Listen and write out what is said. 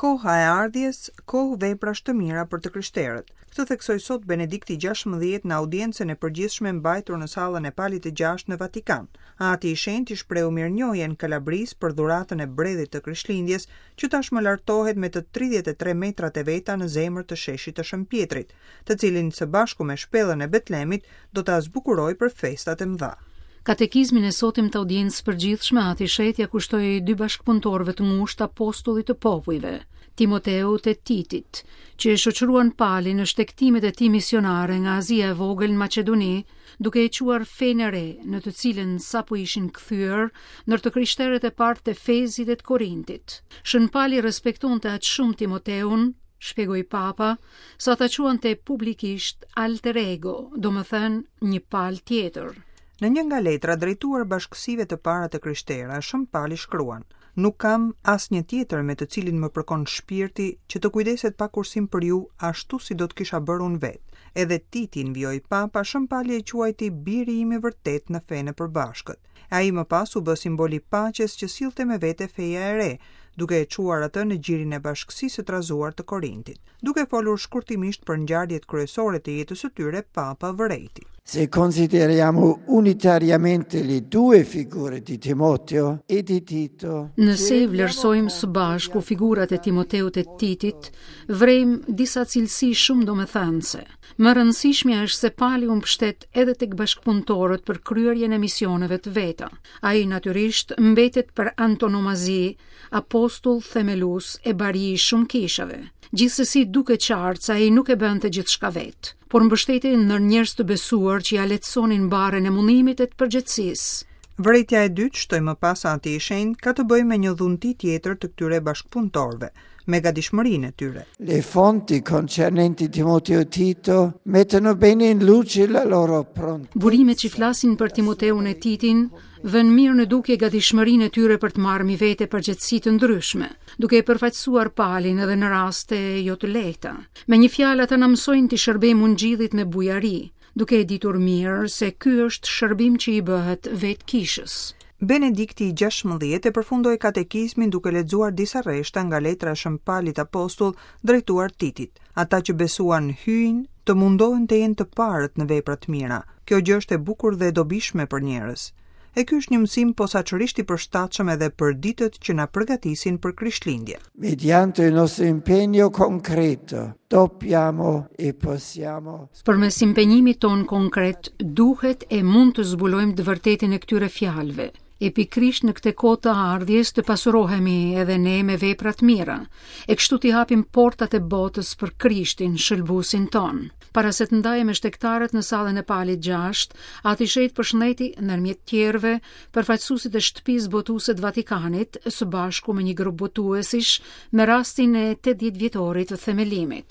Koha e ardhjes, kohë veprash të mira për të krishterët. Këtë theksoi sot Benedikti 16 në audiencën e përgjithshme mbajtur në sallën e Palit të Gjashtë në Vatikan. Ati i Shenjtë i shprehu mirënjohjen Kalabrisë për dhuratën e bredhit të Krishtlindjes, që tashmë lartohet me të 33 metrat e veta në zemër të sheshit të Shën Pjetrit, të cilin së bashku me shpellën e Betlemit do ta zbukurojë për festat e mëdha. Katekizmin e sotëm të audiencës së përgjithshme Ati i Shenjtë ia kushtoi dy bashkëpunëtorëve të ngushtë apostullit të popujve, Timoteut e Titit, që e shoqëruan Palin në shtegtimet e tij misionare nga Azia e Vogël në Maqedoni, duke e çuar fenë e re, në të cilën sapo ishin kthyer ndër të krishterët e parë të Efezit e të Korintit. Shën Pali respektonte aq shumë Timoteun, shpjegoi Papa, sa ta quante publikisht alter ego, domethënë një Pal tjetër. Në një nga letrat drejtuar bashkësive të para të krishtera, Shën Pali shkruan: Nuk kam asnjë tjetër me të cilin më përkon shpirti që të kujdeset pa kursim për ju ashtu si do të kisha bërë unë vetë. Edhe Titin, vijoi Papa, Shën Pali e quajti biri im i vërtetë në fenë e përbashkët. Ai më pas u bë simbol i paqes që sillte me vete feja e re, duke e çuar atë në gjirin e bashkësisë së trazuar të Korintit. Duke folur shkurtimisht për ngjarjet kryesore të jetës së tyre, Papa vërejti. Se consideriamo unitariamente le due figure di Timoteo e di Tito. Nëse i vlerësojmë së bashku figurat e Timoteut e Titit, vërejmë disa cilësi shumë domethënëse. Më e rëndësishmja është se Pali u mbështet edhe tek bashkëpunëtorët për kryerjen e misioneve të veta. Ai natyrisht mbetet për antonomazi apostull themelues e bari i shumë kishave. Gjithsesi duket qartë se ai nuk e bënte gjithçka vetë, por mbështetej ndër njerëz të besuar që ia lehtësonin barrën e mundimit e të përgjegjësisë. Vërejtja e dytë, shtoi më pas Ati i Shenjtë, ka të bëjë me një dhunti tjetër të këtyre bashkëpunëtorëve, me gatishmërinë e tyre. Le fonti concernenti Timoteo e Tito mettono bene in luce la loro prontezza. Burimet që flasin për Timoteun e Titin vënë mirë në dukje gatishmërinë e tyre për të marrë mbi vete përgjegjësi të ndryshme, duke e përfaqësuar Palin edhe në raste jo të lehta. Me një fjalë ata na mësojnë t'i shërbejmë Ungjillit me bujari, duke e ditur mirë se ky është shërbim që i bëhet vetë kishës. Benedikti i 16 e përfundoi katekizmin duke lexuar disa rreshta nga letra e Shën Palit Apostull drejtuar Titit. Ata që besuan Hyjin, të mundohen të jenë të parët në vepra të mira. Kjo gjë është e bukur dhe e dobishme për njerëz. E ky është një mësim posaçërisht i përshtatshëm edhe për ditët që na përgatisin për Krishtlindje. Mediante il nostro impegno concreto, dobbiamo e possiamo Përmes impenjimit tonë konkret, duhet e mund të zbulojmë të vërtetën e këtyre fjalëve. E pikërisht në këtë kohë të ardhjes të pasurohemi edhe ne me vepra të mira, e kështu t'i hapim portat e botës për Krishtin, shëlbuesin tonë. Para se të ndahej me shtegtarët në sallën e Palit 6, Ati i Shenjtë përshëndeti, ndërmjet tjerëve, përfaqësuesit e Shtëpisë Botuese të Vatikanit, së bashku me një grup botuesish, me rastin e 80 vjetorit të themelimit.